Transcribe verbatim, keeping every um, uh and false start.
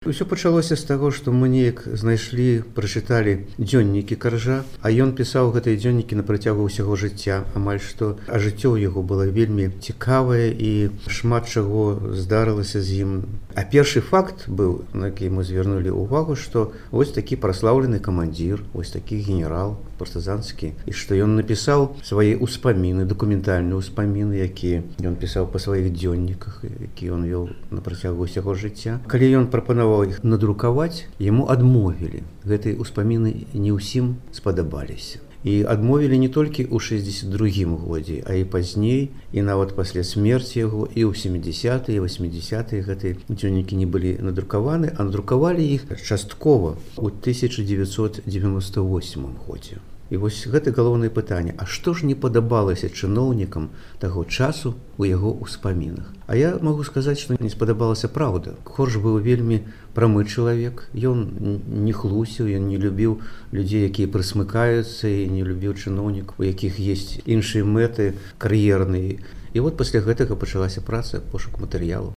Усё пачалося з таго, што мы неяк знайшлі, прачыталі дзённікі Каржа, а ён пісаў гэтыя дзённікі на працягу ўсяго жыцця, амаль што, а жыццё ў яго было вельмі цікавае і шмат чаго здарылася з ім. А першы факт быў, на які мы звярнулі ўвагу, што вось такі праслаўлены камандзір, вось такі генерал партызанскі, і што ён напісаў свае ўспаміны, дакументальныя ўспаміны, якія ён пісаў па сваіх дзённіках, які ён вёў на працягу ўсяго жыцця. Калі ён прапанаваў іх надрукаваць, яму адмовілі. Гэтыя ўспаміны не ўсім спадабаліся. І адмовілі не толькі ў шэсцьдзесят другім годзе, а і пазней, і нават пасля смерці яго, і ў сямідзясятыя, васьмідзясятыя гэтыя дзённікі не былі надрукаваны, а надрукавалі іх часткова ў тысяча дзевяцьсот дзевяноста восьмым годзе. І вось гэта галоўнае пытанне, а што ж не падабалася чыноўнікам таго часу ў яго ўспамінах? А я магу сказаць, што не спадабалася праўда. Корж быў вельмі прамы чалавек, ён не хлусіў, ён не любіў людзей, якія прысмыкаюцца, і не любіў чыноўнікаў, у якіх ёсць іншыя мэты кар'ерныя. І вот пасля гэтага пачалася праца, пошук матэрыялу.